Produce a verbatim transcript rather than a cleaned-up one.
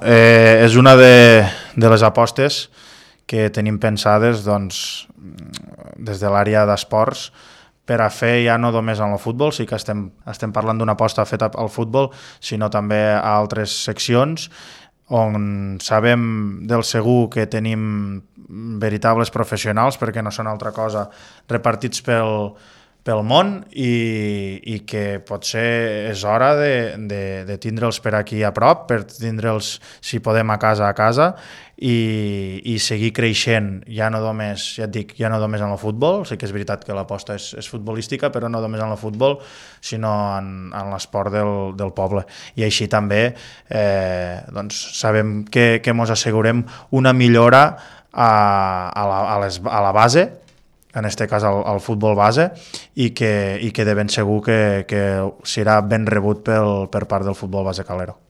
Eh, és una de, de les apostes que tenim pensades doncs, des de l'àrea d'esports per a fer ja no només en el futbol, sí que estem, estem parlant d'una aposta feta al futbol, sinó també a altres seccions on sabem del segur que tenim veritables professionals, perquè no són altra cosa, repartits pel, pel món i, i que potser és hora de, de, de tindre'ls per aquí a prop, per tindre'ls, si podem, a casa a casa i, i seguir creixent, ja no només, ja et dic, ja no només en el futbol, sí que és veritat que l'aposta és, és futbolística, però no només en el futbol, sinó en, en l'esport del, del poble. I així també eh, doncs sabem que, que mos assegurem una millora a, a, la, a, les, a la base, en aquest cas al, al futbol base, i que, i que de ben segur que, que serà ben rebut pel, per part del futbol base calero.